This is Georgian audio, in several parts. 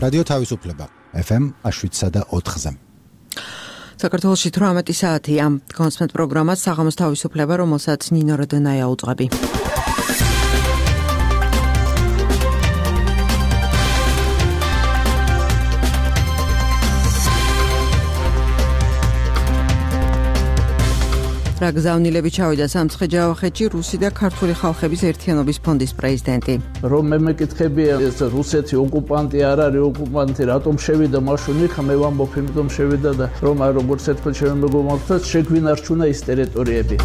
რადიო თავისუფლება FM 7.4-ზე. საქართველოში 18 საათია. კონსმეთ პროგრამას საღამოს თავისუფლება, რომელსაც ნინო როდონაია უძღვები. რა გზავნილები ჩავიდა სამცხე-ჯავახეთში რუსი და ქართული ხალხების ერთიანობის ფონდის პრეზიდენტი. რომ მე მეკითხებია ეს რუსეთი ოკუპანტი არ არის ოკუპანტი, რატომ შევიდა მაშინ იქ მე ვამბობ იმიტომ შევიდა და რომ აი როგორც ერთხელ შემეგომართვათ შეგვინარჩუნა ის ტერიტორიები.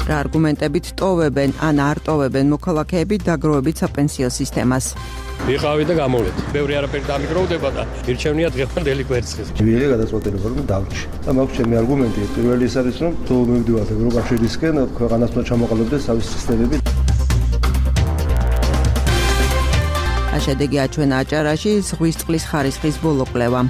რა არგუმენტებით ტოვებენ ან არ ტოვებენ მოქალაქეები დაგროვებით საპენსიო სისტემას. ვიყავი და გამოვედი. ბევრი არაფერი დამიგროვდება და ირჩევნია დღევანდელი კვერცხის. ვიღე გადაწყვეტილება რომ დავჭი. და მაქვს ჩემი არგუმენტი, პირველი ის არის რომ თუ მივდივართ ევროკავშირისკენ, ქვეყანას უნდა ჩამოყალიბდეს თავის სისტემები. შედეგი აჩვენა აჭარაში ზღვის წყლის ხარისხის ბოლო კვლევა.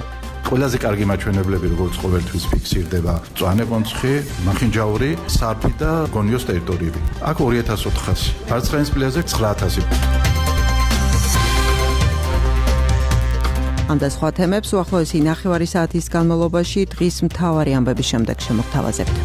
ყველაზე კარგი მაჩვენებლები როგორც ყოველთვის ფიქსირდება მწვანე-კონცხი, მახინჯაური, სარფი და გონიოს ტერიტორიები. აქ 2400, ფარცხანის პლაჟზე 9000. ამ და სხვა თემებს უახლოესი ნახევარი საათის განმავლობაში დღის მთავარი ამბების შემდეგ შემოგთავაზებთ.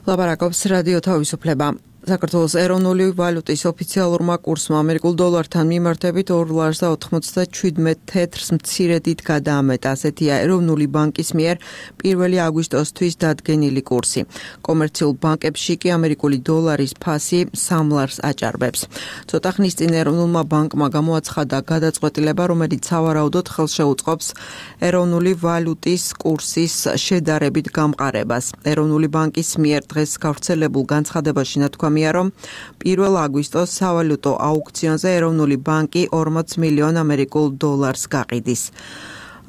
ლაპარაკობს რადიო თავისუფლება. საქართველოს ეროვნული ვალუტის ოფიციალურმა კურსმა ამერიკულ დოლართან მიმართებით 2.97 თეთრს მცირედით გადაამეტა. ასეთია ეროვნული ბანკის მიერ 1 აგვისტოსთვის დადგენილი კურსი. კომერციულ ბანკებში კი ამერიკული დოლარის ფასი 3 ლარს აჭარბებს. ცოტა ხნის წინ ეროვნულმა ბანკმა გამოაცხადა გადაწყვეტილება, რომელიც სავარაუდოდ ხელს შეუწყობს ეროვნული ვალუტის კურსის შედარებით გამყარებას. ეროვნული ბანკის მიერ დღეს გავრცელებულ განცხადებაში ნათქვამია, რომ 1 აგვისტოს სავალუტო აუქციონზე ეროვნული ბანკი 40 მილიონ ამერიკულ დოლარს გაყიდის.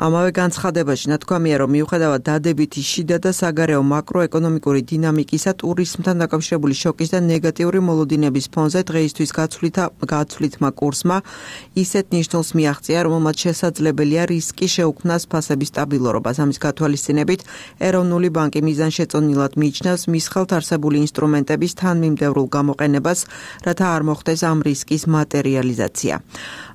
ამავე განცხადებაში ნათქვამია, რომ მიუხედავად დადებითი შიდა და საგარეო მაკროეკონომიკური დინამიკისა, ტურიზმთან დაკავშირებული შოკის და ნეგატიური მოლოდინების ფონზე დღეისთვის გაცვლითმა კურსმა ისეთ ნიშნულს მიაღწია, რომელმაც შესაძლებელია რისკი შეუქმნას ფასების სტაბილურობას. ამის გათვალისწინებით, ეროვნული ბანკი მიზანშეწონილად მიიჩნევს მის ხელთ არსებული ინსტრუმენტების თანმიმდევრულ გამოყენებას, რათა არ მოხდეს ამ რისკის მატერიალიზაცია.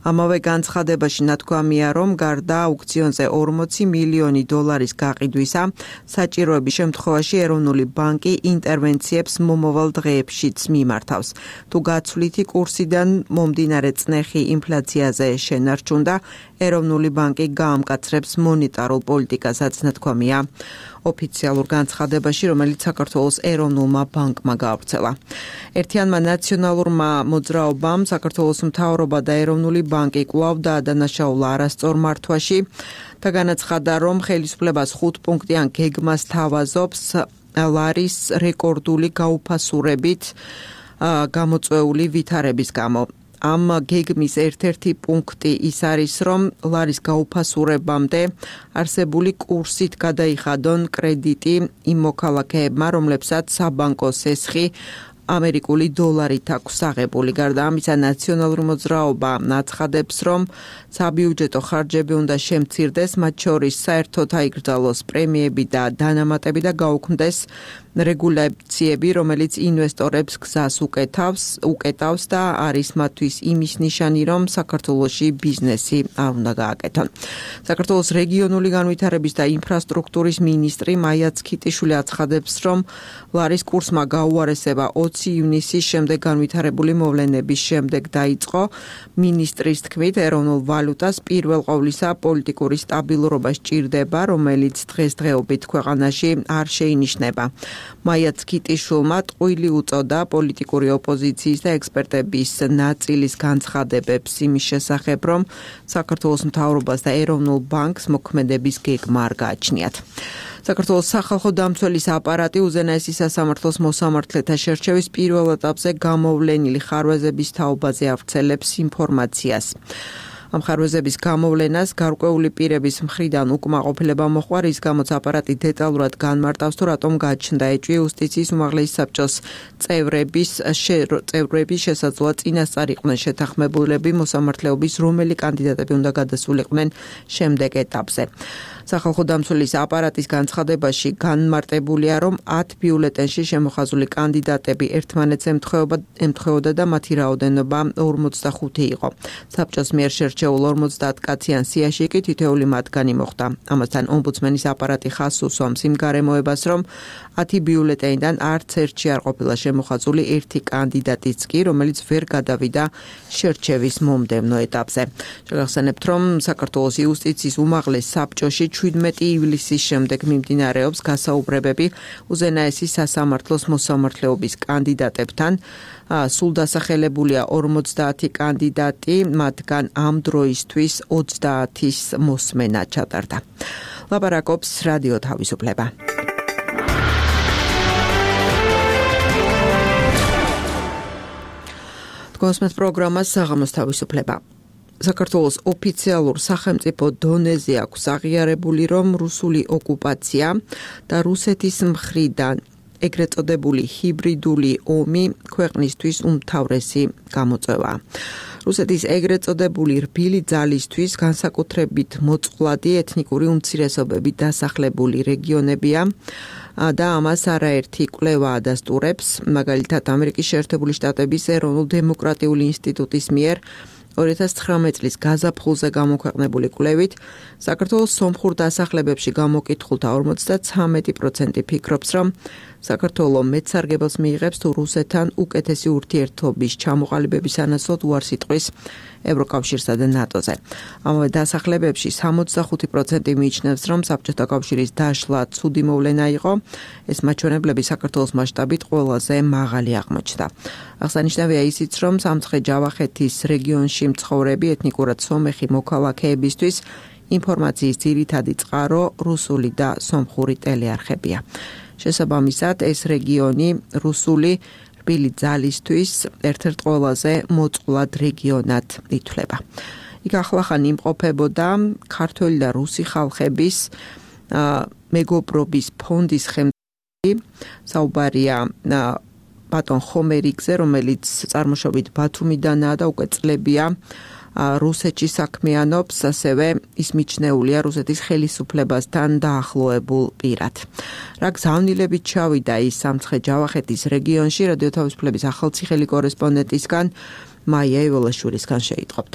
ამავე განცხადებაში ნათქვამია, რომ გარდა აუქციონზე 40 მილიონი დოლარის გაყიდვისა, საჭიროების შემთხვევაში ეროვნული ბანკი ინტერვენციებს მომავალ დღეებშიც მიმართავს. თუ გაცვლითი კურსიდან მომდინარე წნეხი ინფლაციაზე შენარჩუნდა, ეროვნული ბანკი გაამკაცრებს მონეტარულ პოლიტიკასაც, ნათქვამია ოფიციალურ განცხადებაში, რომელიც საქართველოს ეროვნულმა ბანკმა გაავრცელა. ერთიანმა ნაციონალურმა მოძრაობამ საქართველოს მთავრობა და ეროვნული ბანკი კვლავ დაადანაშაულა არასწორ მართვაში და განაცხადა, რომ ხელისუფლებას 5 პუნქტიან გეგმას თავაზობს ლარის რეკორდული გაუფასურებით გამოწვეული ვითარების გამო. ამ გეგმის ერთ-ერთი პუნქტი ის არის, რომ ლარის გაუფასურებამდე არსებული კურსით გადაიხადონ კრედიტი იმ მოქალაქეებმა, რომლებსაც საბანკო სესხი ამერიკული დოლარით აქვს აღებული. გარდა ამისა, ნაციონალური მოძრაობა აცხადებს, რომ საბიუჯეტო ხარჯები უნდა შემცირდეს, მათ შორის საერთოდ აიკრძალოს პრემიები და დანამატები და გაუქმდეს რეგულაციები, რომელიც ინვესტორებს გზას უკეტავს და არის მათთვის იმის ნიშანი, რომ საქართველოში ბიზნესი არ უნდა გააკეთონ. საქართველოს რეგიონული განვითარების და ინფრასტრუქტურის მინისტრი მაია ცქიტიშვილი აცხადებს, რომ ლარის კურსმა გაუარესება 20 ივნისის შემდეგ განვითარებული მოვლენების შემდეგ დაიწყო. მინისტრის თქმით, ეროვნულ ვალუტას პირველ ყოვლისა პოლიტიკური სტაბილურობა სჭირდება, რომელიც დღესდღეობით ქვეყანაში არ შეინიშნება. მაია ცქიტიშვილმა ტყუილი უწოდა პოლიტიკური ოპოზიციის და ექსპერტების ნაწილის განცხადებებს იმის შესახებ, რომ საქართველოს მთავრობას და ეროვნულ ბანკს მოქმედების გეგმა არ გააჩნიათ. საქართველოს სახალხო დამცველის აპარატი უზენაესი სასამართლოს მოსამართლეთა შერჩევის პირველ ეტაპზე გამოვლენილი ხარვეზების თაობაზე ავრცელებს ინფორმაციას. ამ ხარვეზების გამოვლენას გარკვეული პირების მხრიდან უკმაყოფილება მოჰყვა, რის გამოც აპარატი დეტალურად განმარტავს, თუ რატომ გაჩნდა ეჭვი იუსტიციის უმაღლესი საბჭოს წევრები შესაძლოა წინასწარ იყვნენ შეთანხმებულები მოსამართლეობის რომელი კანდიდატები უნდა გადასულიყვნენ შემდეგ ეტაპზე. სახალხო დამცველის აპარატის განცხადებაში განმარტებულია, რომ 10 ბიულეტენში შემოხაზული კანდიდატები ერთმანეთს ემთხვეოდა და მათი რაოდენობა 45 იყო. საბჭოს მიერ შერჩეულ 50 კაციან სიაში კი თითოეული მათგანი მოხვდა. ამასთან ომბუდსმენის აპარატი ხაზს უსვამს იმ გარემოებას, რომ 10 ბიულეტენიდან არც ერთში არ ყოფილა შემოხაზული ერთი კანდიდატიც კი, რომელიც ვერ გადავიდა შერჩევის მომდევნო ეტაპზე. შეგახსენებთ, რომ საქართველოს იუსტიციის უმაღლეს საბჭოში 17 ივლისის შემდეგ მიმდინარეობს გასაუბრებები უზენაესი სასამართლოს მოსამართლეობის კანდიდატებთან. სულ დასახელებულია 50 კანდიდატი, მათგან ამ დროისთვის 30-ის მოსმენა ჩატარდა. ლაპარაკობს რადიო თავისუფლება. თქვენს პროგრამას საღამოს თავისუფლება. საქართველოს ოფიციალურ სახელმწიფო დონეზე აქვს აღიარებული, რომ რუსული ოკუპაცია და რუსეთის მხრიდან ეგრეთ წოდებული ჰიბრიდული ომი ქვეყნისთვის უმთავრესი გამოწვევაა. რუსეთის ეგრეთ წოდებული რბილი ძალისთვის განსაკუთრებით მოწყვლადი ეთნიკური უმცირესობები დასახლებული რეგიონებია და ამას არაერთი კვლევა ადასტურებს, მაგალითად ამერიკის შეერთებული შტატების ეროვნულ-დემოკრატიული ინსტიტუტის მიერ 2019 წლის გაზაფხულზე გამოქვეყნებული კვლევით საქართველოს სომხურ დასახლებებში გამოკითხულთა 53% ფიქრობს, რომ საქართველო მეცარგებელს მიიღებს თუ რუსეთთან უკეთესი ურთიერთობის ჩამოყალიბების ანაცვლოდ უარს იტყვის ევროკავშირსა და ნატოზე. ამავე დასახლებებში 65% მიიჩნევს, რომ საბჭოთა კავშირის დაშლა ცუდი მოვლენა იყო. ეს მაჩვენებლები საქართველოს მასშტაბით ყველაზე მაღალი აღმოჩნდა. აღსანიშნავია ისიც, რომ სამცხე-ჯავახეთის რეგიონში მცხოვრები ეთნიკურად სომეხი მოქალაქეებისთვის ინფორმაციის ძირითადი წყარო რუსული და სომხური ტელეარხებია. შესაბამისად, ეს რეგიონი რუსული რბილი ძალისთვის ერთ-ერთ ყველაზე მოწყვლად რეგიონად ითვლება. იქ ახლახან იმყოფებოდა ქართველი და რუსი ხალხების მეგობრობის ფონდის ხელმძღვანელი, საუბარია ბატონ ხომერიგზე, რომელიც წარმოშობით ბათუმიდანაა და უკვე წლებია რუსეთში საქმიანობს, ასევე ის მიჩნეულია რუსეთის ხელისუფლებასთან დაახლოებულ პირად. რა გზავნილებით ჩავიდა ის სამცხე-ჯავახეთის რეგიონში, რადიო თავისუფლების ახალციხელი კორესპონდენტისგან მაია ივოლაშვილისგან შეიტყობთ.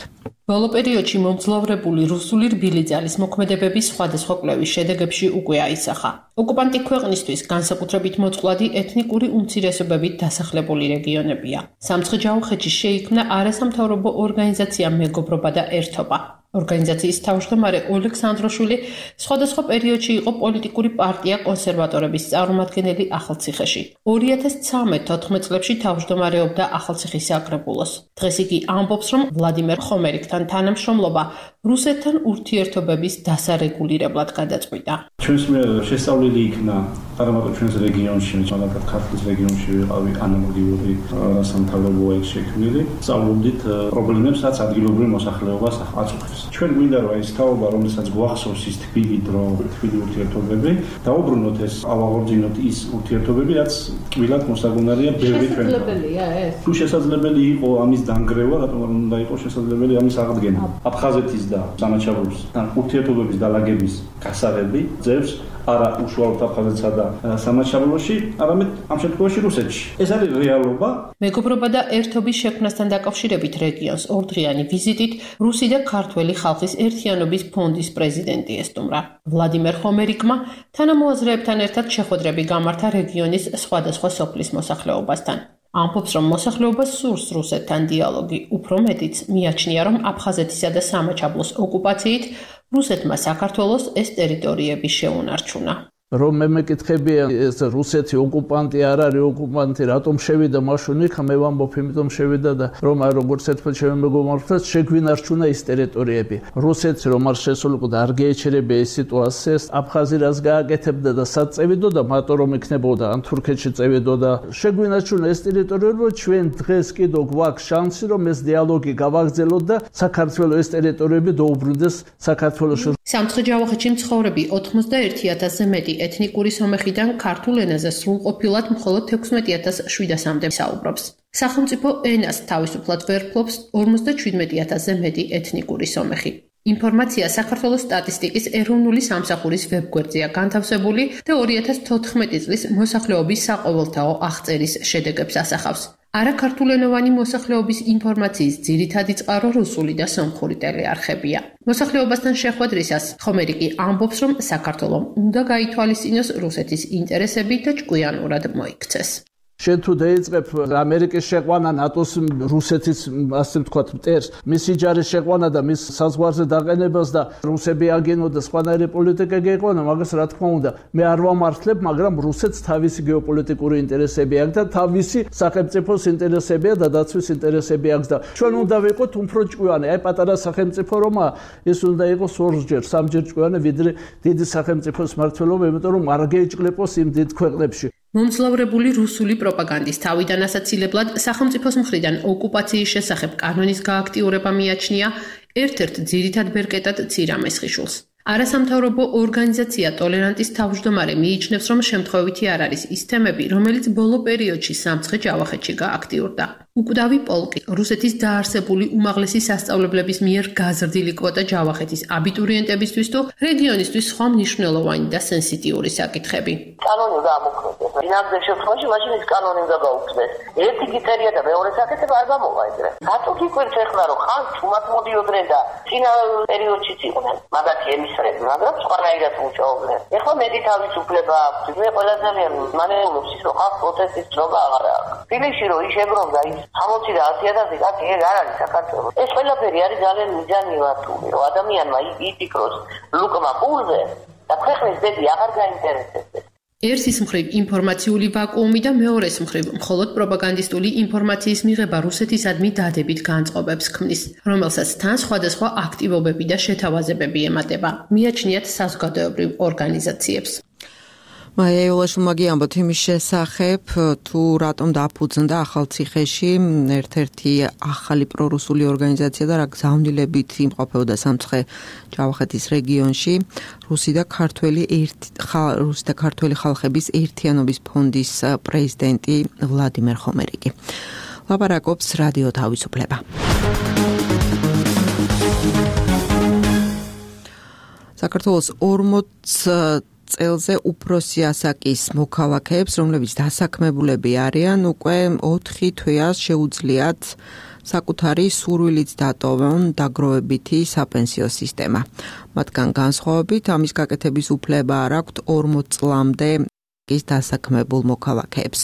ბოლო პერიოდში მომძლავრებული რუსული რბილი ძალის მოქმედებების სხვადასხვა კვლევის შედეგებში უკვე აისახა. ოკუპანტი ქვეყნისთვის განსაკუთრებით მოწყვლადი ეთნიკური უმცირესობებით დასახლებული რეგიონებია. სამცხე-ჯავახეთში შეიქმნა არასამთავრობო ორგანიზაცია მეგობრობა და ერთობა. ორგანიზაციის თავმჯდომარე ოლექსანდროშვილი სხვადასხვა პერიოდში იყო პოლიტიკური პარტია კონსერვატორების წარმომადგენელი ახალციხეში. 2013-14 წლებში თავმჯდომარეობდა ახალციხის საკრებულოს. დღეს იგი ამბობს, რომ ვლადიმერ ხომერიგთან თანამშრომლობა რუსეთთან ურთიერთობების დასარეგულირებლად გადაწყვიტა. ჩვენს მიერ შესწავლილი იქნა არამარტო ჩვენს რეგიონში, მაგრამ ქართლის რეგიონში ვიყავი ანალოგიური სამთავრობოა იქ შექმნილი. სწავლობდით პრობლემებს, რაც ადგილობრივ მოსახლეობას აწუხებს. ჩვენ გვინდა რომ ეს თაობა, რომელსაც გვახსოვს ის თბილი დრო, თბილი ურთიერთობები, დაუბრუნოთ ეს, ავაღორძინოთ ის ურთიერთობები, რაც ტკბილად მოსაგონარია ბევრი ჩვენ. შესაძლებელია ეს. თუ შესაძლებელი იყო ამის დანგრევა, რატომ არ უნდა იყოს შესაძლებელი ამის აღდგენა? აფხაზეთის და სამაჩაბლოსთან ურთიერთობების დალაგების გასაღები ძევს არა უშუალოდ აფხაზეთსა და სამაჩაბლოში, არამედ ამ შემთხვევაში რუსეთში. ეს არის რეალობა. მეგობრობა და ერთობის შექმნასთან დაკავშირებით რეგიონს ორდღიანი ვიზიტით რუსი და ქართველი ხალხის ერთიანობის ფონდის პრეზიდენტი ესტუმრა. ვლადიმერ ხომერიგმა თანამოაზრეებთან ერთად შეხვედრები გამართა რეგიონის სხვადასხვა სოფლის მოსახლეობასთან. ამბობს, რომ მოსახლეობას სურს რუსეთთან დიალოგი, უფრო მეტიც მიაჩნია, რომ აფხაზეთისა და სამაჩაბლოს ოკუპაციით რუსეთმა საქართველოს ეს ტერიტორიები შეუნარჩუნა. რომ მე მეკითხები ეს რუსეთი ოკუპანტი არ არის ოკუპანტი რატომ შევიდა მაშინ იქ მე ვამბობ იმიტომ შევიდა და რომ აი როგორც ერთფერთ შემეგომართვას შეგვინარჩუნა ის ტერიტორიები რუსეთს რომ არ შესულიყო და არ გეეჩერებია ეს სიტუაციას აფხაზი რას გააკეთებდა და სად წევიდოდა მარტო რომ იქნებოდა ან თურქეთში წევიდოდა შეგვინარჩუნა ეს ტერიტორიები ჩვენ დღეს კიდევ გვაქვს შანსი რომ ეს დიალოგი გავაგრძელოთ და საქართველოს ეს ტერიტორიები დაუბრუნდეს საქართველოში სამცხე-ჯავახეთში მცხოვრები 81000-ზე მეტი ეთნიკური სომეხიდან ქართულ ენაზე სრულყოფილად მხოლოდ 16700-მდე საუბრობს. სახელმწიფო ენას თავისუფლად ვერ ფლობს 57000-ზე მეტი ეთნიკური სომეხი. ინფორმაცია საქართველოს სტატისტიკის ეროვნული სამსახურის ვებგვერდზეა განთავსებული და 2014 წლის მოსახლეობის საყოველთაო აღწერის შედეგებს ასახავს. არაქართულენოვანი მოსახლეობის ინფორმაციის ძირითადი წყარო რუსული და სომხური ტელეარხებია. მოსახლეობასთან შეხვედრისას ხომერიკი ამბობს, რომ საქართველომ უნდა გაითვალისწინოს რუსეთის ინტერესები და ჭკვიანურად მოიქცეს. შენ თუ დაიწყებ ამერიკის შეყვანა ნატოს რუსეთის ასე ვთქვათ მტერს მისი ჯარის შეყვანა და მის საზღვარზე დაყენებას და რუსები აგენო და სხვანაირი პოლიტიკა გეყვანა მაგას რა თქმა უნდა მე არ ვამართლებ მაგრამ რუსეთს თავისი გეოპოლიტიკური ინტერესები აქვს და თავისი სახელმწიფოს ინტერესებია და დაცვის ინტერესები აქვს და ჩვენ უნდა ვიყოთ უფრო ჭკვიანი აი პატარა სახელმწიფო რომა ეს უნდა იყოს ორჯერ სამჯერ ჭკვიანი ვიდრე დიდი სახელმწიფოს მმართველობა იმიტომ რომ არ გეჭყლეპოს იმ დიდ ქვეყნებში მომძლავრებული რუსული პროპაგანდის თავიდან ასაცილებლად სახელმწიფოს მხრიდან ოკუპაციის შესახებ კანონის გააქტიურება მიაჩნია ერთ-ერთ ძირითად ბერკეტად ცირამესხიშვილს. არასამთავრობო ორგანიზაცია ტოლერანტის თავმჯდომარე მიიჩნევს, რომ შემთხვევითი არ არის ის თემები, რომელიც ბოლო პერიოდში სამცხე-ჯავახეთში გააქტიურდა. უკვდავი პოლკი რუსეთის დაარსებული უმაღლესი სასწავლებლების მიერ გაზრდილი კვოტა ჯავახეთის აბიტურიენტებისთვის თუ რეგიონისთვის სხვა მნიშვნელოვანი და სენსიტიური საკითხები. კანონი გამოგხდეს. ბინადრ შემთხვევაში მაშინ ის კანონი უნდა გაუქმდეს. ერთი კრიტერია და მეორე საკითხი არ გამოვა ეგრე. რატო გიკვირთ ეხლა რომ ხან თუმად მოდიოდნენ და წინა პერიოდშიც იყვნენ. მაგათი ემისრები, მაგრამ სხვანაირად მუშაობდნენ. ეხლა მეტი თავისუფლება აქვს. მე ყველაზე მანეულობს ის რომ ხალხ პროტესტის ძროხა აღარ აქვს. თბილისში რომ იშებრონდა ის 60 და 100,000 კაცი ეგ არ არის საქართველოს. ეს ყველაფერი არის ძალიან მიზანილათული, რომ ადამიანმა იფიქროს ლუკმა პულზე და ქვეყნის ბედი აღარ გაინტერესებს. ერთის მხრივ ინფორმაციული ვაკუუმი და მეორეს მხრივ მხოლოდ პროპაგანდისტული ინფორმაციის მიღება რუსეთისადმი დადებით განწყობებს ქმნის, რომელსაც თან სხვადასხვა აქტივობები და შეთავაზებები ემატება. მიაჩნიათ საზოგადოებრივ ორგანიზაციებს. მაია იულაშვილმა ამბობთ იმის შესახებ, თუ რატომ დაფუძნდა ახალციხეში ერთ-ერთი ახალი პრორუსული ორგანიზაცია და რა გზავნილებით იმყოფებოდა სამცხე-ჯავახეთის რეგიონში რუსი და ქართველი ხალხების ერთიანობის ფონდის პრეზიდენტი ვლადიმერ ხომერიკი. ლაპარაკობს რადიო თავისუფლება. საქართველოს 40 წელზე უფროსი ასაკის მოქალაქეებს, რომლებიც დასაქმებულები არიან, უკვე 4 თვეას შეუძლიათ საკუთარი სურვილით დატოვონ დაგროვებითი საპენსიო სისტემა. მათგან განსხვავებით ამის გაკეთების უფლება არ აქვთ 40 წლამდე ის დასაქმებულ მოქალაქეებს.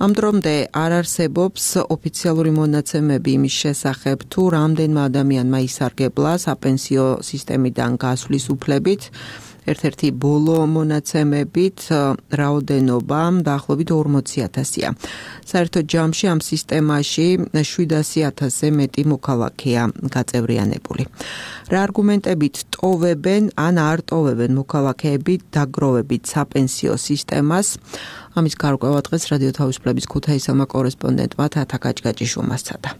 ამ დრომდე არ არსებობს ოფიციალური მონაცემები იმის შესახებ, თუ რამდენმა ადამიანმა ისარგებლა საპენსიო სისტემიდან გასვლის უფლებით. ერთ-ერთი ბოლო მონაცემებით რაოდენობა დაახლოებით 40,000-ია. საერთოდ ჯამში ამ სისტემაში 700,000-ზე მეტი მოქალაქეა გაწევრიანებული. რა არგუმენტებით ტოვებენ ან არ ტოვებენ მოქალაქეები დაგროვებით საპენსიო სისტემას? ამის გარკვევა დღეს რადიო თავისუფლების ქუთაისელმა კორესპონდენტმა თათა გაჭგაჭიშვილმა სცადა.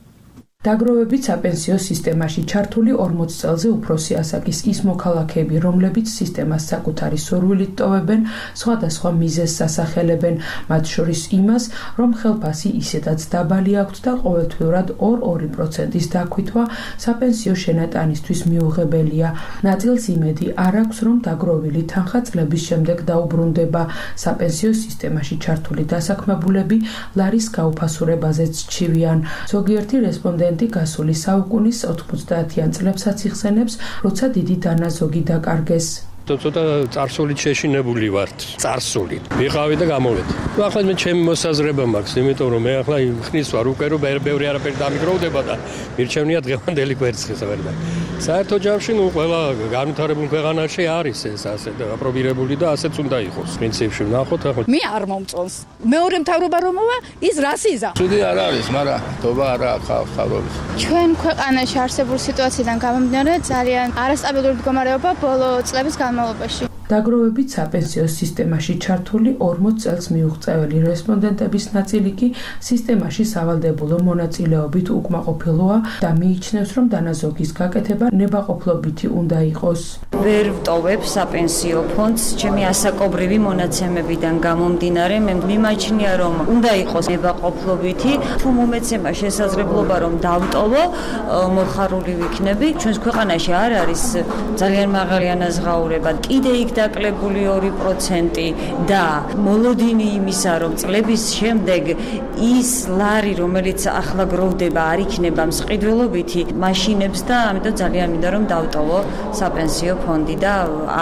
დაგროვებით საპენსიო სისტემაში ჩართული 40 წელზე უფროსი ასაკის ის მოქალაქეები, რომლებიც სისტემას საკუთარი სურვილით ტოვებენ, სხვადასხვა მიზეზს ასახელებენ, მათ შორის იმას, რომ ხელფასი ისედაც დაბალი აქვთ და ყოველთვიურად 2% დაქვითვა საპენსიო შენატანისთვის მიუღებელია. ნაწილს იმედი არ აქვს, რომ დაგროვილი თანხა წლების შემდეგ დაუბრუნდება. საპენსიო სისტემაში ჩართული დასაქმებულები ლარის გაუფასურებაზეც ჩივიან. ზოგიერთი რესპონდენტი გასული საუკუნის 90-იან წლებსაც იხსენებს, როცა დიდი დანაზოგი დაკარგეს. ცოტა წარსულით შეშინებული ვართ, წარსულით. ვიყავი და გამოვედი. ახლა მე ჩემი მოსაზრება მაქვს, იმიტომ რომ მე ახლა ხნის ვარ უკვე რომ ბევრი არაფერი დამიგროვდება და მირჩევნია დღევანდელი კვერცხის ვერდა. საერთო ჯამში ყველა განვითარებულ ქვეყანაში არის ეს ასე და აპრობირებული და ასეც უნდა იყოს. პრინციპში ვნახოთ ახლა. მე არ მომწონს. მეორე მთავრობა რომ მოვა, ის რასიზა. ცუდი არ არის, მაგრამ თობა არა ხალხის. ჩვენ ქვეყანაში არსებულ სიტუაციიდან გამომდინარე ძალიან არასტაბილური მდგომარეობა ბოლო წლების განმავლობაში. დაგროვებით საპენსიო სისტემაში ჩართული 40 წელს მიუღწეველი რესპონდენტების ნაწილი კი სისტემაში სავალდებულო მონაწილეობით უკმაყოფილოა და მიიჩნევს, რომ დანაზოგის გაკეთება ნებაყოფლობითი უნდა იყოს. ვერ ვტოვებ საპენსიო ფონდს ჩემი ასაკობრივი მონაცემებიდან გამომდინარე, მე მიმაჩნია, რომ უნდა იყოს ნებაყოფლობითი, თუ მომეცემა შესაძლებლობა რომ დავტოვო, მოხარული ვიქნები. ჩვენს ქვეყანაში არ არის ძალიან მაღალი ანაზღაურება, კიდე იქ დაკლებული 2% და მოლოდინი იმისა, რომ წლების შემდეგ ის ლარი, რომელიც ახლა გროვდება, არ იქნება მსყიდველობითი, მაშინებს და ამიტომ ძალიან მინდა რომ დავტოვო საპენსიო ფონდი და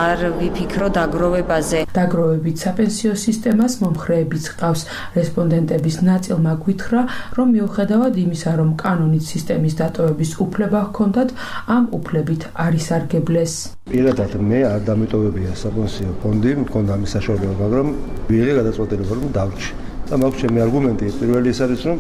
არ ვიფიქრო დაგროვებაზე. დაგროვებით საპენსიო სისტემას მომხრეებიც ჰყავს. რესპონდენტების ნაწილმა გვითხრა, რომ მიუხედავად იმისა, რომ კანონით სისტემის დატოვების უფლება ჰქონდათ, ამ უფლებით არ ისარგებლეს. პირადად მე არ დამიტოვებია საპენსიო ფონდი, მქონდა ამის საშუალება, მაგრამ ვიღე გადაწყვეტილება რომ დავრჩი. და მაქვს ჩემი არგუმენტი, პირველი ის არის, რომ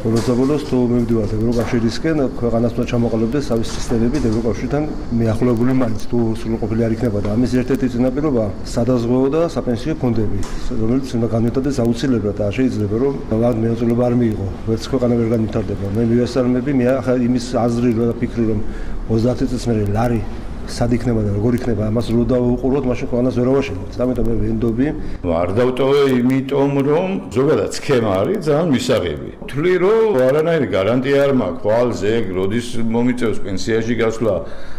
ბოლოს თუ მივდივართ ევროკავშირისკენ, ქვეყანას უნდა ჩამოყალიბდეს თავის სისტემები ევროკავშირთან მიახლოებული მაინც თუ სრულყოფილი არ იქნება და ამის ერთ-ერთი წინაპირობა სადაზღვეო და საპენსიო ფონდები, რომელიც უნდა განვითარდეს აუცილებლად და შეიძლება რომ მაგ მეწოდება არ მიიღო, ვერც ქვეყანა ვერ განვითარდება. მე მივესალმები, მე ახლა იმის აზრი რა ფიქრი რომ 30 წელს მე ლარი სად იქნება და როგორ იქნება ამას რო დავუყუროთ, მაშინ ქვეყანას ვერ ავაშენებთ. ამიტომ მე ვენდობი. არ დავტოვე იმიტომ, რომ ზოგადად სქემა არის ძალიან მისაღები. თვლი რომ არანაირი გარანტია არ მაქვს, ხვალზე როდის მომიწევს პენსიაში გასვლა,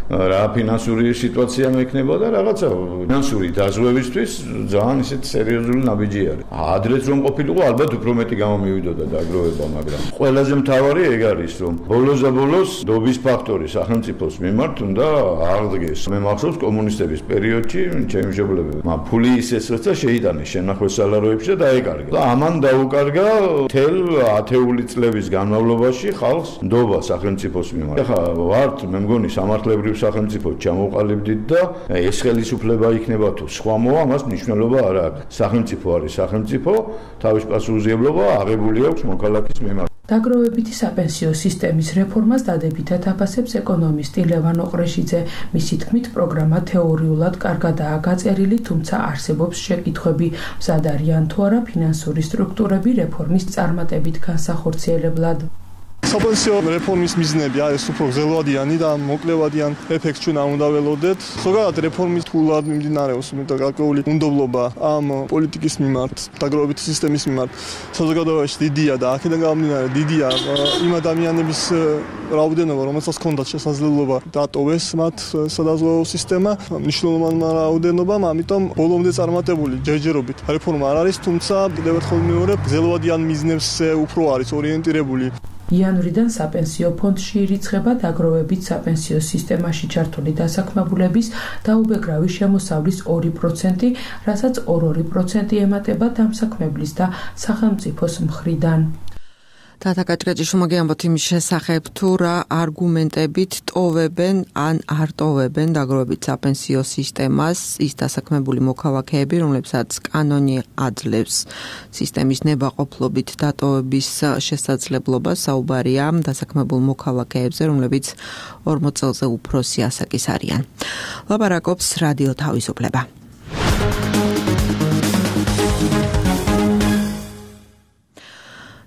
რა ფინანსური სიტუაცია მექნება და რაღაცა ფინანსური დაზღვევისთვის ძალიან ისეთ სერიოზული ნაბიჯი არის. ადრეც რომ ყოფილიყო, ალბათ უფრო მეტი გამომივიდოდა დაგროვება, მაგრამ ყველაზე მთავარი ეგ არის, რომ ბოლოს დობის ფაქტორი სახელმწიფოს მიმართ უნდა აღდგეს. მე მახსოვს კომუნისტების პერიოდში ჩემი მშობლები ფული ისეს როცა შეიტანეს შენახოს სალაროებში და დაეკარგა. და ამან დაუკარგა თელ 10 წლების განმავლობაში ხალხს ნდობა სახელმწიფოს მიმართ. ახლა ვართ მე მგონი სამართლებრივ სახელმწიფო ჩამოყალიბდით და ეს ხელისუფლება იქნება თუ სხვა მოვა, ამას მნიშვნელობა არ აქვს. სახელმწიფო არის სახელმწიფო, თავის პასუხისმგებლობა აღებული აქვს მოქალაქის მიმართ. დაგროვებითი საპენსიო სისტემის რეფორმას დადებითად აფასებს ეკონომისტი ლევან ოყრეშიძე. მისი თქმით, პროგრამა თეორიულად კარგადაა გაწერილი, თუმცა არსებობს შეკითხვები, მზად არიან თუ არა ფინანსური სტრუქტურები რეფორმის წარმატებით განსახორციელებლად. საპენსიო რეფორმის მიზნები არის უფრო გრძელვადიანი და მოკლევადიან ეფექტს ჩვენ არ უნდა ველოდეთ. ზოგადად რეფორმის თულად მიმდინარეობს და გარკვეული უნდობლობა ამ პოლიტიკის მიმართ, დაგროვებითი სისტემის მიმართ. საზოგადოებაში დიდია და აქედან გამომდინარე დიდია იმ ადამიანების რაოდენობა, რომელსაც ჰქონდათ შესაძლებლობა დატოვეს მათ სადაზღვეო სისტემა, მნიშვნელოვანი რაოდენობამ, ამიტომ ბოლომდე წარმატებული ჯერჯერობით რეფორმა არ არის, თუმცა კიდევ ერთხელ მეორე გრძელვადიან მიზნებზე უფრო არის ორიენტირებული. იანვრიდან საპენსიო ფონდში ირიცხება დაგროვებით საპენსიო სისტემაში ჩართული დასაქმებულების დაუბეგრავი შემოსავლის 2%, რასაც 2% ემატება დამსაქმებლის და სახელმწიფოს მხრიდან. თათაკაჭკაჭიშვილმა მოგიამბოთ იმის შესახებ, თუ რა არგუმენტებით ტოვებენ ან არ ტოვებენ დაგროვებით საპენსიო სისტემას ის დასაქმებული მოქალაქეები, რომლებსაც კანონი აძლევს სისტემის ნებაყოფლობით დატოვების შესაძლებლობას. საუბარია დასაქმებულ მოქალაქეებზე, რომლებიც 40 წელზე უფროსი ასაკის არიან. ლაპარაკობს რადიო თავისუფლება.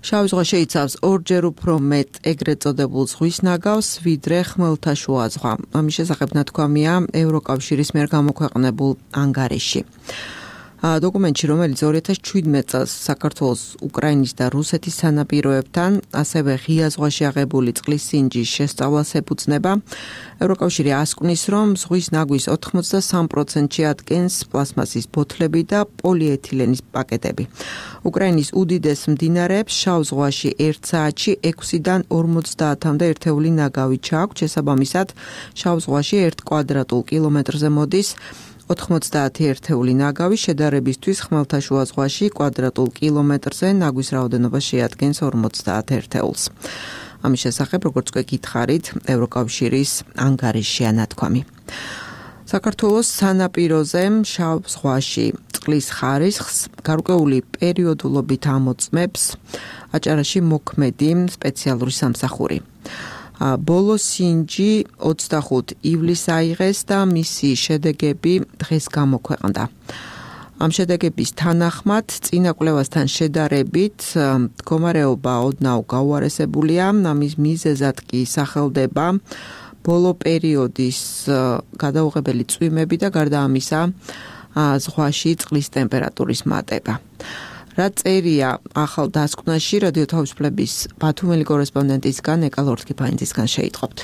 შავი ზღვა შეიცავს ორჯერ უფრო მეტ ეგრეთ წოდებულ ზღვის ნაგავს, ვიდრე ხმელთაშუა ზღვა. ამის შესახებ ნათქვამია ევროკავშირის მიერ გამოქვეყნებულ ანგარიში. დოკუმენტში, რომელიც 2017 წელს საქართველოს, უკრაინის და რუსეთის სანაპიროებთან, ასევე ღია ზღვაში აღებული წყლის სინჯის შესწავლას ეფუძნება. ევროკავშირი ასკვნის, რომ ზღვის ნაგვის 83%-ში ადგენს პლასმასის ბოთლები და პოლიეთილენის პაკეტები. უკრაინის უდიდეს მდინარეებს შავ ზღვაში 1 საათში 6-დან 50-მდე ერთეული ნაგავი ჩააქვთ, შესაბამისად შავ ზღვაში 1 კვადრატულ კილომეტრზე მოდის 90 ერთეული ნაგავი შედარებისთვის ხმელთაშუა ზღვაში კვადრატულ კილომეტრზე ნაგვის რაოდენობა შეადგენს 50 ერთეულს. ამის შესახებ, როგორც გითხარით, ევროკავშირის ანგარიშია ნათქვამი. საქართველოს სანაპიროზე შავ ზღვაში წყლის ხარისხს გარკვეული პერიოდულობით ამოწმებს აჭარაში მოქმედი სპეციალური სამსახური. ბოლო სინჯი 25 ივლისს აიღეს და მისი შედეგები დღეს გამოქვეყნდა. ამ შედეგების თანახმად წინა კვლევასთან შედარებით მდგომარეობა ოდნავ გაუარესებულია, ამის მიზეზად კი სახელდება ბოლო პერიოდის გადაუღებელი წვიმები და გარდა ამისა ზღვაში წყლის ტემპერატურის მატება. რა წერია ახალ დასკვნაში რადიო თავისუფლების ბათუმელი კორესპონდენტისგან ეკალორთკიფაინძისგან შეიტყობთ.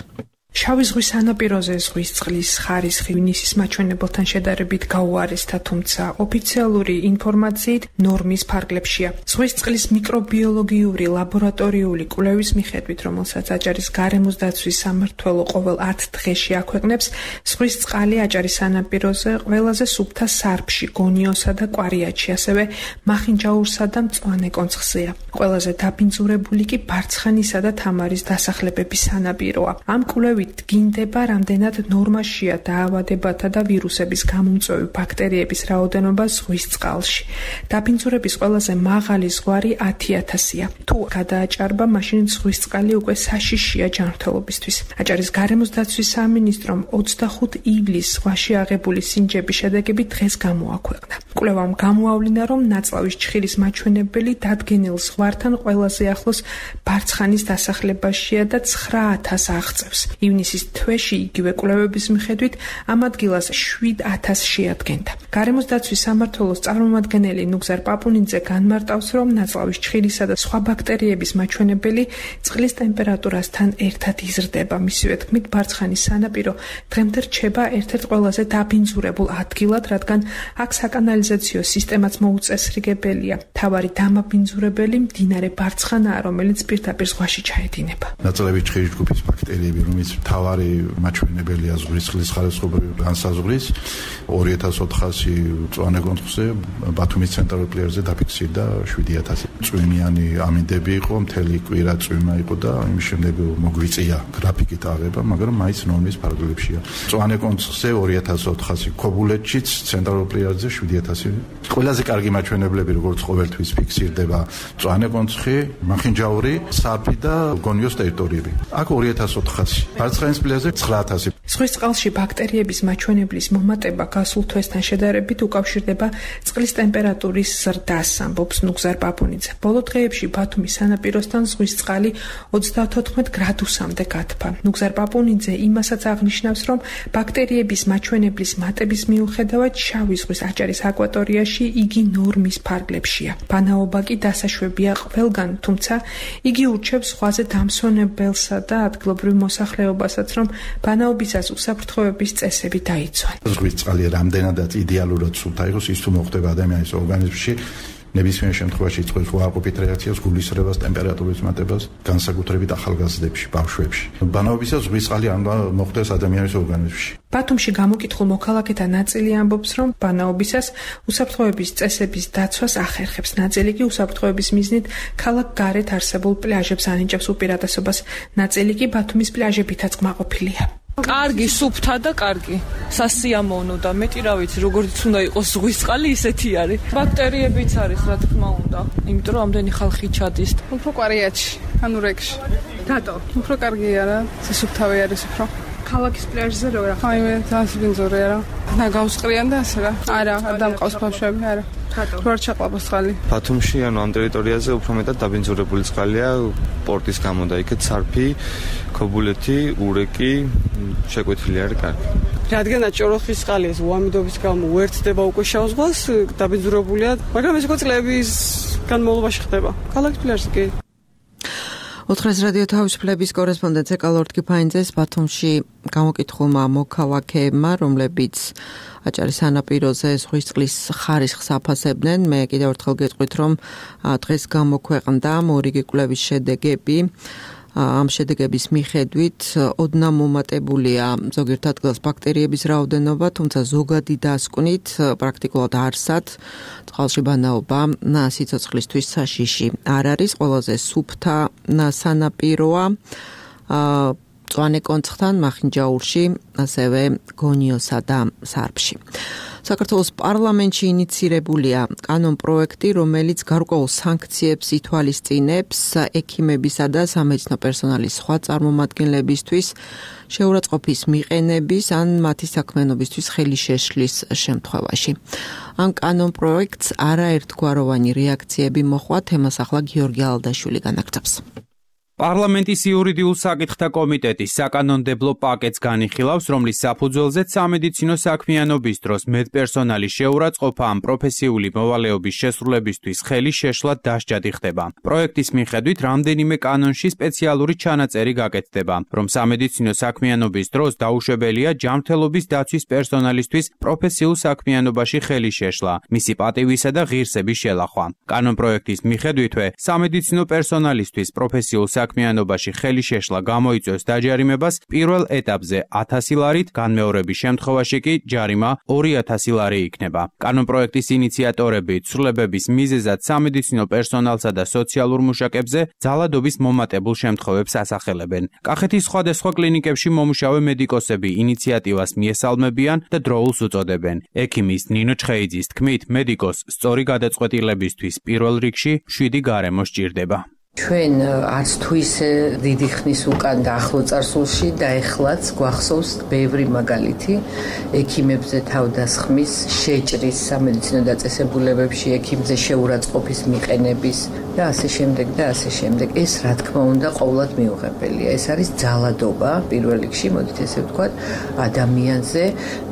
შავი ზღვის სანაპიროზე ზღვის წყლის ხარისხი ივნისის მაჩვენებელთან შედარებით გაუარესდა, თუმცა ოფიციალური ინფორმაციით ნორმის ფარგლებშია. ზღვის წყლის მიკრობიოლოგიური ლაბორატორიული კვლევის მიხედვით, რომელსაც აჭარის გარემოს დაცვის სამმართველო ყოველ 10 დღეში აქვეყნებს, ზღვის წყალი აჭარის სანაპიროზე ყველაზე სუფთა სარფში, გონიოსა და კვარიატში, ასევე მახინჯაურსა და მწვანე კონცხზეა. ყველაზე დაბინძურებული კი ბარცხანისა და თამარის დასახლებების სანაპიროა. ამ კვლევით დგინდება, რამდენად ნორმაშია დაავადებათა და ვირუსების გამომწვევი ბაქტერიების რაოდენობა ზღვის წყალში. დაბინძურების ყველაზე მაღალი ზღვარი 10,000-ია. თუ გადააჭარბა, მაშინ ზღვის წყალი უკვე საშიშია ჯანმრთელობისთვის. აჭარის გარემოს დაცვის სამინისტრომ 25 ივლისს ზღვაში აღებული სინჯების შედეგები დღეს გამოაქვეყნა. კვლევამ გამოავლინა, რომ ნაწლავის ჩხირის მაჩვენებელი დადგენილ ზღვართან ყველაზე ახლოს ბარცხანის დასახლებაშია და 9,000 აღწევს. ივნისის თვეში იგივე კვლევების მიხედვით ამ ადგილას 7,000 შეადგენდა. გარემოს დაცვის სამმართველოს წარმომადგენელი ნუგზარ პაპუნიძე განმარტავს, რომ ნაწლავის ჩხირისა და სხვა ბაქტერიების მაჩვენებელი წყლის ტემპერატურასთან ერთად იზრდება. მისივე თქმით, ბარცხანის სანაპირო დღემდე რჩება ერთ-ერთ ყველაზე დაბინძურებულ ადგილად, რადგან აქ საკანალიზაციო სისტემაც მოუწესრიგებელია. მთავარი დამაბინძურებელი მდინარე ბარცხანაა, რომელიც პირდაპირ ზღვაში ჩაედინება. ნაწლავის ჩხირის ჯგუფის ბაქტერიები, რომელიც მთავარი მაჩვენებელია ზღვის წყლის ხარისხობრივი განსაზღვრის 2400 მწვანე კონცხზე ბათუმის ცენტრალურ პლაჟზე დაფიქსირდა 7000. წვიმიანი ამინდები იყო, მთელი კვირა წვიმა იყო და იმის შემდეგ მოგვიწია გრაფიკით აღება, მაგრამ მაინც ნორმის ფარგლებშია. მწვანე კონცხზე 2400, ქობულეთშიც ცენტრალურ პლაჟზე 7000. ყველაზე კარგი მაჩვენებლები, როგორც ყოველთვის ფიქსირდება მწვანე კონცხი, მახინჯაური, სარფი და გონიოს ტერიტორიები. აქ 2400. ბარცხანის პლაჟზე 9000. ზღვის წყალში ბაქტერიების მაჩვენებლის მომატება გასულ თვესთან შედარებით უკავშირდება წყლის ტემპერატურის ზრდას, ამბობს ნუგზარ პაპუნიძე. ბოლო დღეებში ბათუმის სანაპიროსთან ზღვის წყალი 34 გრადუსამდე გადფა. ნუგზარ პაპუნიძე იმასაც აღნიშნავს, რომ ბაქტერიების მაჩვენებლის მატების მიუხედავად შავი ზღვის აჭარის აკვატორიაში იგი ნორმის ფარგლებშია. ბანაობა კი დასაშვებია ყველგან, თუმცა იგი ურჩევს ზღვაზე დამსვენებელსა და ადგილობრივ მოსახლეობასაც, რომ ბანაობისას უსაფრთხოების წესები დაიცვან. ზღვის წყალი რამდენადაც იდეალურად სუფთა იყოს, ის თუ მოხდება ადამიანის ორგანიზმში, ნებისმიერ შემთხვევაში იწვევს უარყოფით რეაქციას, გულისრევას, ტემპერატურის მატებას, განსაკუთრებით ახალგაზრდებში, ბავშვებში. ბანაობისას ზღვის წყალი არ უნდა მოხდეს ადამიანის ორგანიზმში. ბათუმში გამოკითხულ მოქალაქეთა ნაწილი ამბობს, რომ ბანაობისას უსაფრთხოების წესების დაცვას ახერხებს. ნაწილი კი უსაფრთხოების მიზნით ქალაქ გარეთ არსებულ პლაჟებს ანიჭებს უპირატესობას. ნაწილი კი ბათუმის პლაჟებითაც კმაყოფილია. კარგი, სუფთა და კარგი. სასიამოვნო და მეტი რა ვიცი, როგორც უნდა იყოს ზღვის წყალი, ისეთი არის. ბაქტერიებიც არის, რა თქმა უნდა. იმიტომ რომ ამდენი ხალხი ჩადის. უფრო კვარიატში, ანუ რეგში. რატო? უფრო კარგია რა. სუფთავი არის უფრო. ქალაქის პლაჟზე რო რა. აი მე დასბინძურია რა. და გავსყრიან და ასე რა. არა, არ დამყავს ბავშვები, არა. რატო? არ ჩაყლაპოს წყალი. ბათუმში ანუ ამ ტერიტორიაზე უფრო მეტად დაბინძურებული წყალია პორტის გამო და იქეთ სარფი, ქობულეთი, ურეკი შეკვეთილი არის კარგი. რადგანაც ჭოროხის წყალი ეს უამიდობის გამო უერთდება უკვე შავ ზღვას, დაბინძურებულია, მაგრამ ეს უკვე წლების განმავლობაში ხდება. ქალაქის პლაჟზე კი. ოთხრეს რადიო თავისუფლების კორესპონდენტ ეკალორთკიფაინძეს ბათუმში გამოკითხულმა მოქალაქეებმა, რომლებიც აჭარის სანაპიროზე ზღვის წყლის ხარისხს აფასებდნენ. მე კიდევ ერთხელ გეტყვით, რომ დღეს გამოქვეყნდა მორიგი კვლევის შედეგები ამ შედეგების მიხედვით ოდნავ მომატებულია ზოგიერთ ადგილას ბაქტერიების რაოდენობა, თუმცა ზოგადი დასკვნით პრაქტიკულად არსად წყალში ბანაობა სიცოცხლისთვის საშიში არ არის. ყველაზე სუფთა სანაპიროა მწვანე კონცხთან, მახინჯაურში, ასევე გონიოსა და სარფში. საქართველოს პარლამენტში ინიცირებულია კანონპროექტი, რომელიც გარკვეულ სანქციებს ითვალისწინებს ექიმებისა და სამედიცინო პერსონალის სხვა წარმომადგენლებისთვის შეურაცხყოფის მიყენების ან მათი საქმიანობისთვის ხელი შეშლის შემთხვევაში. ამ კანონპროექტს არაერთგვაროვანი რეაქციები მოჰყვა, თემას ახლა გიორგი ალდაშვილი განაგრძობს. პარლამენტის იურიდიულ საკითხთა კომიტეტის საკანონმდებლო პაკეტს განიხილავს, რომლის საფუძველზეც სამედიცინო საქმიანობის დროს მედპერსონალის შეურაცხყოფა ან პროფესიული მოვალეობის შესრულებისთვის ხელი შეშლად დასჯადი ხდება. პროექტის მიხედვით რამდენიმე კანონში სპეციალური ჩანაწერი გაკეთდება, რომ სამედიცინო საქმიანობის დროს დაუშვებელია ჯანმრთელობის დაცვის პერსონალისთვის პროფესიულ საქმიანობაში ხელი შეშლა, მისი პატივისა და ღირსების შელახვა. კანონპროექტის მიხედვითვე სამედიცინო პერსონალისთვის პროფესიულ საქმიანობაში ხელი შეშლა გამოიწვევს დაჯარიმებას პირველ ეტაპზე 1000 ლარით, განმეორების შემთხვევაში კი ჯარიმა 2000 ლარი იქნება. კანონპროექტის ინიციატორები ცვლილებების მიზეზად სამედიცინო პერსონალსა და სოციალურ მუშაკებზე ძალადობის მომატებულ შემთხვევებს ასახელებენ. კახეთის სხვადასხვა კლინიკებში მომუშავე მედიკოსები ინიციატივას მიესალმებიან და დროულს უწოდებენ. ექიმის ნინო ჩხეიძის თქმით, მედიკოს სწორი გადაწყვეტილებისთვის პირველ რიგში 7 გარემო სჭირდება. ჩვენ არც თუ ისე დიდი ხნის უკან და ახლო წარსულში და ეხლაც გვახსოვს ბევრი მაგალითი ექიმებზე თავდასხმის, შეჭრის სამედიცინო დაწესებულებებში ექიმზე შეურაცხყოფის მიყენების და ასე შემდეგ და ასე შემდეგ. ეს რა თქმა უნდა ყოვლად მიუღებელია. ეს არის ძალადობა პირველ რიგში, მოდით ესე ვთქვათ, ადამიანზე,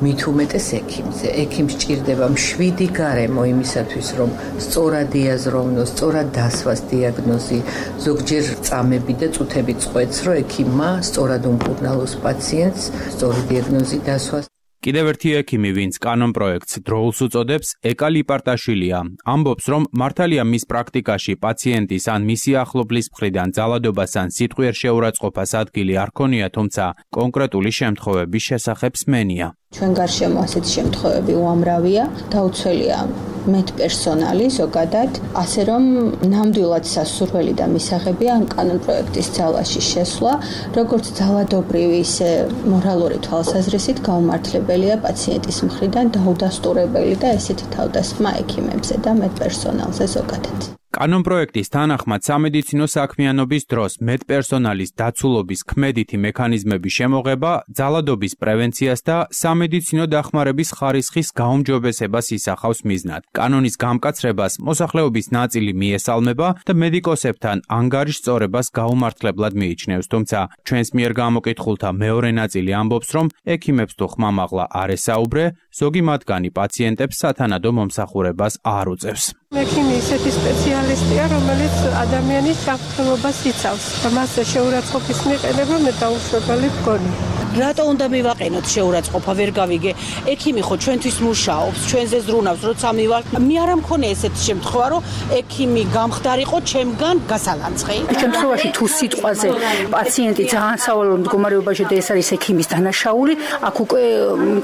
მით უმეტეს ექიმზე. ექიმს სჭირდება 7 გარემო იმისათვის, რომ სწორად იაზროვნოს, სწორად დასვას დიაგნოზი, ზოგჯერ წამები და წუთები წყვეტს, რომ ექიმმა სწორად უმკურნალოს პაციენტს, სწორი დიაგნოზი დასვას. კიდევ ერთი ექიმი, ვინც კანონპროექტს დროულს უწოდებს, ეკა ლიპარტაშვილია. ამბობს, რომ მართალია მის პრაქტიკაში პაციენტის ან მისი ახლობლის მხრიდან ძალადობას ან სიტყვიერ შეურაცხყოფას ადგილი არ ქონია, თუმცა კონკრეტული შემთხვევების შესახებ სმენია. ჩვენ გარშემო ასეთი შემთხვევები უამრავია, დაუცველია მედპერსონალი ზოგადად, ასე რომ ნამდვილად სასურველი და მისაღებია ამ კანონპროექტის ძალაში შესვლა, როგორც ძალადობრივი, ისე მორალური თვალსაზრისით გაუმართლებელია პაციენტის მხრიდან დაუდასტურებელი და ესეთი თავდასხმა ექიმებზე და მედპერსონალზე ზოგადად. კანონპროექტის თანახმად სამედიცინო საქმიანობის დროს მედპერსონალის დაცულობის ქმედითი მექანიზმების შემოღება ძალადობის პრევენციას და სამედიცინო დახმარების ხარისხის გაუმჯობესებას ისახავს მიზნად. კანონის გამკაცრებას მოსახლეობის ნაწილი მიესალმება და მედიკოსებთან ანგარიშ სწორებას გაუმართლებლად მიიჩნევს, თუმცა ჩვენს მიერ გამოკითხულთა მეორე ნაწილი ამბობს, რომ ექიმებს თუ ხმამაღლა არ ესაუბრე, ზოგი მათგანი პაციენტებს სათანადო მომსახურებას არ უწევს. ექიმი ისეთი სპეციალისტია, რომელიც ადამიანის ჯანმრთელობას იცავს და მასზე შეურაცხყოფის მიყენება მე დაუშვებელი მგონი. რატო უნდა მივაყენოთ შეურაცხყოფა, ვერ გავიგე. ექიმი ხო ჩვენთვის მუშაობს, ჩვენზე ზრუნავს, როცა მივალ. მე არ მქონია ესეთი შემთხვევა, რომ ექიმი გამხდარიყო ჩემგან გასალანცხი. შემთხვევაში თუ სიტყვაზე პაციენტი ძალიან სავალალო მდგომარეობაში და ეს არის ექიმის დანაშაული, აქ უკვე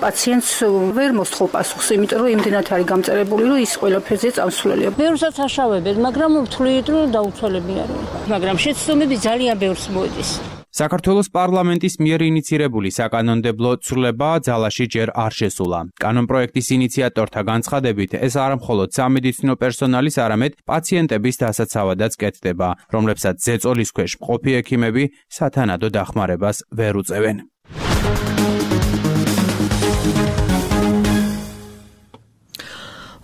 პაციენტს ვერ მოსთხოვ პასუხს, იმიტომ რომ იმდენად არის გამწერებული, რომ ის ყველაფერზე წამსვლელია. ბევრსაც აშავებენ, მაგრამ ვთვლით, რომ დაუცველები არიან. მაგრამ შეცდომები ძალიან ბევრს მოედის. საქართველოს პარლამენტის მიერ ინიცირებული საკანონმდებლო ცვლილება ძალაში ჯერ არ შესულა. კანონპროექტის ინიციატორთა განცხადებით, ეს არა მხოლოდ სამედიცინო პერსონალის, არამედ პაციენტების დასაცავადაც კეთდება, რომლებსაც ზეწოლის ქვეშ მყოფი ექიმები სათანადო დახმარებას ვერ უწევენ.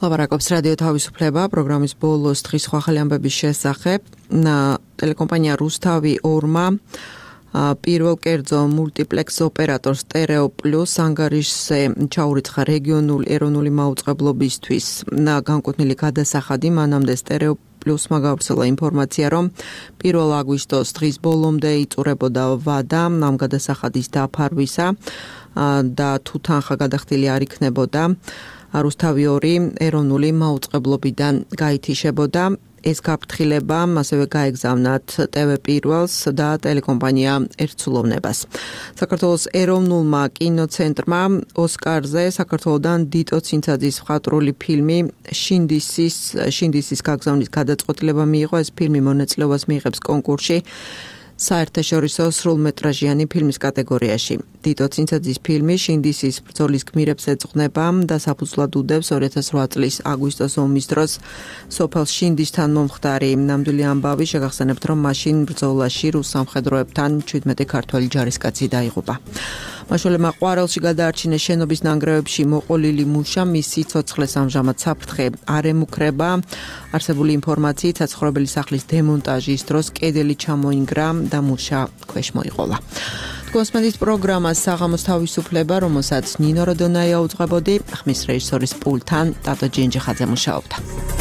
ლაპარაკობს რადიო თავისუფლება პროგრამის ბოლოს დღის სხვა ახალი ამბების შესახებ. ტელეკომპანია რუსთავი 2-მა პირველ კერძო მულტიპლექს ოპერატორ სტერეო პლუს ანგარიშზე ჩაურიცხა რეგიონული ეროვნული მაუწყებლობისთვის განკუთვნილი გადასახადი. მანამდე სტერეო პლუსმა გავრცელა ინფორმაცია, რომ 1 აგვისტოს დღის ბოლომდე იწურებოდა ვადა ამ გადასახადის დაფარვისა და თუ თანხა გადახდილი არ იქნებოდა, რუსთავი 2 ეროვნული მაუწყებლობიდან გაითიშებოდა. ეს გაფრთხილება ასევე გაეგზავნათ TV პირველს და ტელეკომპანია ერთსულოვნებას. საქართველოს ეროვნულმა კინოცენტრმა ოსკარზე საქართველოდან დიტო ცინცაძის მხატვრული ფილმი შინდისის გაგზავნის გადაწყვეტილება მიიღო. ეს ფილმი მონაწილეობას მიიღებს კონკურსში საერთაშორისო სრულმეტრაჟიანი ფილმის კატეგორიაში. დიტო ცინცაძის ფილმი შინდისის ბრძოლის გმირებს ეძღვნება და საფუძვლად უდევს 2008 წლის აგვისტოს ომის დროს სოფელ შინდისთან მომხდარი ნამდვილი ამბავი. შეგახსენებთ, რომ მაშინ ბრძოლაში რუს სამხედროებთან 17 ქართველი ჯარისკაცი დაიღუპა. მაშველებმა ყვარელში გადაარჩინეს შენობის ნანგრევებში მოყოლილი მუშა, მის სიცოცხლეს ამჟამად საფრთხე არ ემუქრება. არსებული ინფორმაციით საცხოვრებელი სახლის დემონტაჟის დროს კედელი ჩამოინგრა და მუშა ქვეშ მოიყოლა. კოსმეტიკის პროგრამა საღამოს თავისუფლება, რომელსაც ნინო როდონაია უძღვებოდი, ხმის რეჟისორის პულტთან ტატო ჯენჯიხაძე მუშაობდა.